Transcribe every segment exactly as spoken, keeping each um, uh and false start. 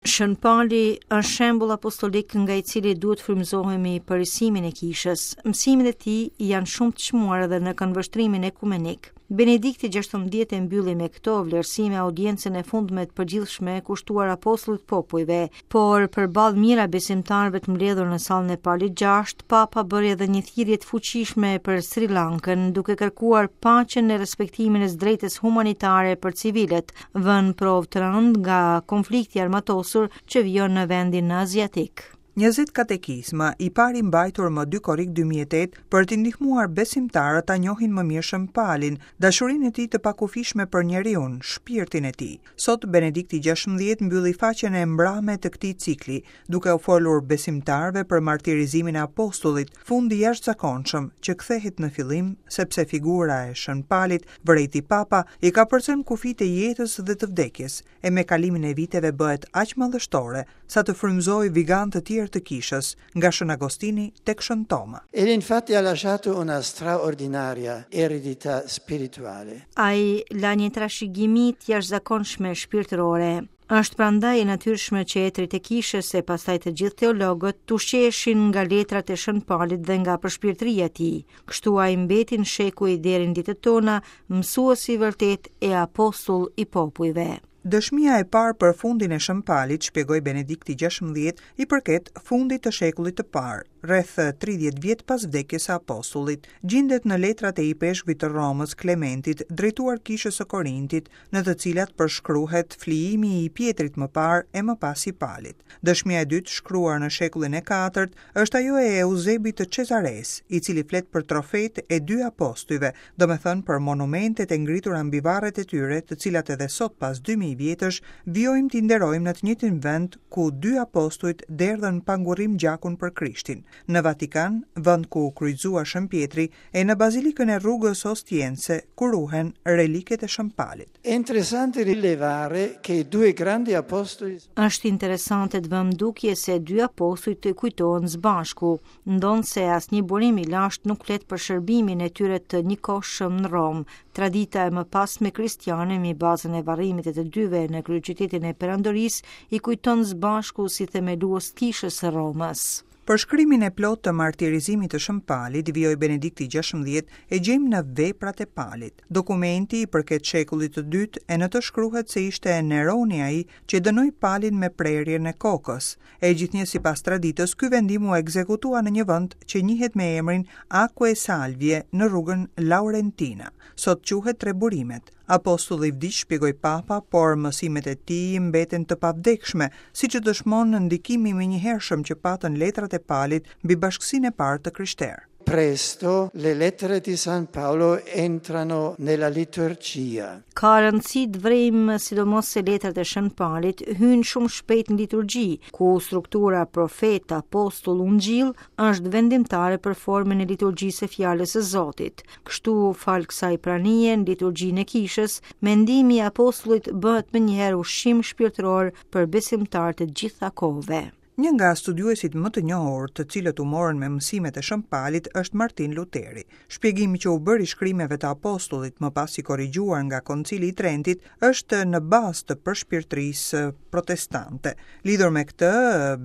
Shën Pali është shembull apostolik nga i cili duhet frymëzohemi për risimin e kishës. Mësimet e tij janë shumë të çmuara edhe në këndvështrimin ekumenik. Benedikti gjashtëmbëdhjetë e mbylli me këto vlerësime audiencën e fundme të përgjithshme kushtuar apostullit popujve, por përballë mijëra besimtarëve të mbledhur në sallën e Palit gjashtë, Papa bëri edhe një thirrje të fuqishme për Sri Lankën, duke kërkuar paqen e respektimin e së drejtës humanitare për civilët, vënë provë të rëndë nga konflikti i armatosur që vijon në vendin aziatik. Njëzet katekizma, i pari mbajtur më dy korrik dy mijë e tetë, për t'i ndihmuar besimtarët ta njohin më mirë Shën Palin, dashurinë e tij të pakufishme për njeriun, shpirtin e tij. Sot Benedikti gjashtëmbëdhjetë mbylli faqen e mbrame të këtij cikli, duke u folur besimtarëve për martirizimin e apostullit, fundi i jashtëzakonshëm që kthehet në fillim, sepse figura e Shën Palit, vërejti Papa, i ka përcënë kufijtë e jetës dhe të vdekjes, e me kalimin e viteve bëhet aq madhështore sa të frymëzojë vigan të tjerë të kishës, nga Shën Agostini tek Shën Toma. Egli infatti ha lasciato una straordinaria eredità spirituale. Ai la një trashëgimi të jashtëzakonshme shpirtërore. Është prandaj e natyrshme që etrit e kishës e pastaj të gjithë teologët të ushqeheshin nga letrat e Shën Palit dhe nga përshpirtëria e tij. Kështu ai mbeti në shekuj deri në ditët tona, mësues i vërtet e apostull i popujve. Dëshmia e parë për fundin e Shën Palit, shpjegoi Benedikti gjashtëmbëdhjetë, i përket fundit të shekullit të parë, rreth tridhjetë vjet pas vdekjes së apostullit. Gjindet në letrat e ipeshkvit të Romës, Klementit, drejtuar kishës së Korintit, në të cilat përshkruhet flijimi i Pietrit më parë e më pas i Palit. Dëshmia e dytë, shkruar në shekullin e katërt, është ajo e Eusebit të Cezares, i cili flet për trofet e dy apostujve, domethënë për monumentet e ngritura mbi varret e tyre, të cilat edhe sot pas dy mijë vjetësh vijojmë t'i nderojmë në të njëjtin vend ku dy apostujt derdhën pa ngurrim gjakun për Krishtin, në Vatikan, vend ku u kryqëzua Shën Pietri, e në Bazilikën e rrugës Ostiense, ku ruhen reliket e Shën Palit. È interessante rilevare che i due grandi apostoli Është interesante të vëmë dukje se dy apostujt të kujtohen së bashku, ndonëse asnjë burim i lashtë nuk flet për shërbimin e tyre të njëkohshëm në Romë. Tradita e mëpasme kristiane mbi bazën e varrimit të të dyve në kryeqytetin e Perandorisë i kujton së bashku si themelues kishës së Romës. Përshkrimin e plot të martirizimit të Shën Palit, vijoi Benedikti gjashtëmbëdhjetë, e gjejmë në veprat e Palit. Dokumenti i përket shekullit të dytë e në të shkruhet se ishte Neroni ai që dënoi Palin me prerjen e kokës. E gjithnjë sipas traditës, ky vendim u ekzekutua në një vend që njihet me emrin Aquae Salvie në rrugën Laurentina. Sot quhet Tre Burimet. Apostulli vdiq, shpjegoi Papa, por mësimet e tij mbeten të pavdekshme, siç e dëshmon ndikimi i menjëhershëm që patën letrat e Palit mbi bashkësinë e parë të krishterë. Presto le lettere di San Paolo entrano nella liturgia. Ka rëndësi të vrejmë sidomos se letrat e Shën Palit hyjnë shumë shpejt në liturgji, ku struktura profet, apostull, ungjill është vendimtare për formën e liturgjisë së fjalës së Zotit. Kështu, fal kësaj pranie në liturgjinë e kishës, mendimi i apostullit bëhet menjëherë ushqim shpirtëror për besimtarët e gjitha kohëve. Një nga studiuesit më të njohur, të cilët u morën me mësimet e Shën Palit, është Martin Luteri. Shpjegimi që u bëri shkrimeve të apostullit, më pas i korrigjuar nga Koncili i Trentit, është në bazë të përshpirtërisë protestante. Lidhur me këtë,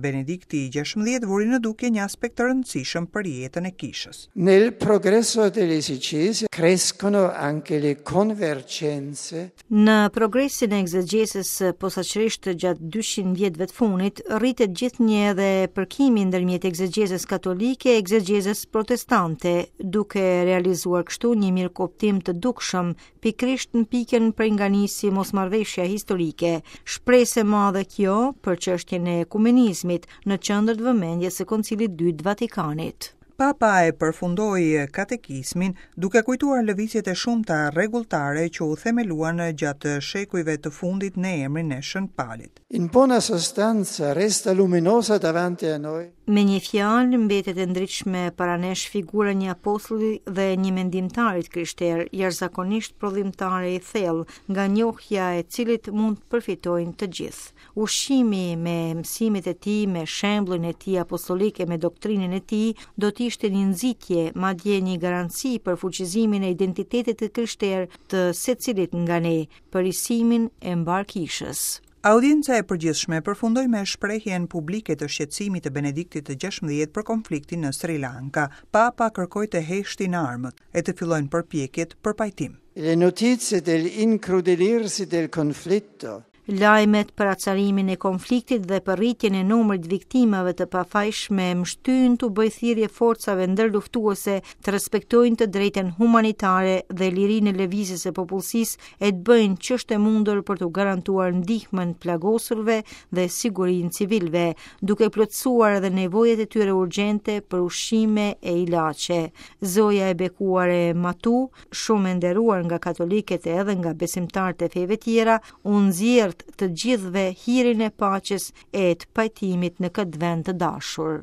Benedikti gjashtëmbëdhjetë vuri në dukje një aspekt të rëndësishëm për jetën e kishës. Nel progresso dell'esegesi crescono anche le convergenze. Në progresin e egzegjezës, posaçërisht gjatë dyqind vjetëve të fundit, rritet gjithnjë edhe përkimi ndërmjet egzegjezës katolike e egzegjezës protestante, duke realizuar kështu një mirëkuptim të dukshëm, pikërisht në pikën prej nga nisi mosmarrëveshja historike. Shpresë e madhe kjo për çështjen e ekumenizmit në qendër të vëmendjes së Koncilit të Dytë të Vatikanit. Papa e përfundoi katekizmin duke kujtuar lëvizjet e shumta rregulltare që u themeluan gjatë shekujve të fundit në emrin e Shën Palit. In buona sostanza resta luminosa davanti a noi. Me një fjalë mbetet e ndritshme para nesh figura një apostulli dhe një mendimtari të krishterë, jashtëzakonisht prodhimtare i thellë, nga njohja e cilit mund të përfitojnë të gjithë. Ushqimi me mësimet e tij, me shembullin e tij apostolik e me doktrinën e tij, do të ishte një nxitje, madje një garanci për fuqizimin e identitetit të krishterë të secilit nga ne, për risimin e mbar kishës. Audienca e përgjithshme përfundoi me shprehjen publike të shqetësimit të Benediktit të gjashtëmbëdhjetë për konfliktin në Sri Lanka. Papa kërkoi të heshtin armët e të fillojnë përpjekjet për pajtim. Le notizie dell'incrudelirsi del conflitto Lajmet për acarimin e konfliktit dhe për rritjen e numrit viktimave të pafajshme më shtynë t'u bëj thirrje forcave ndërluftuese të respektojnë të drejtën humanitare dhe lirinë e lëvizjes së popullsisë e të bëjnë ç'është e mundur për të garantuar ndihmën plagosurve dhe sigurinë civilëve, duke plotësuar edhe nevojat e tyre urgjente për ushqime e ilaçe. Zoja e bekuar e Matu, shumë e nderuar nga katolikët e edhe nga besimtarët e feve tjera, u nxjerr të gjithëve hirin e paqes e të pajtimit në këtë vend të dashur.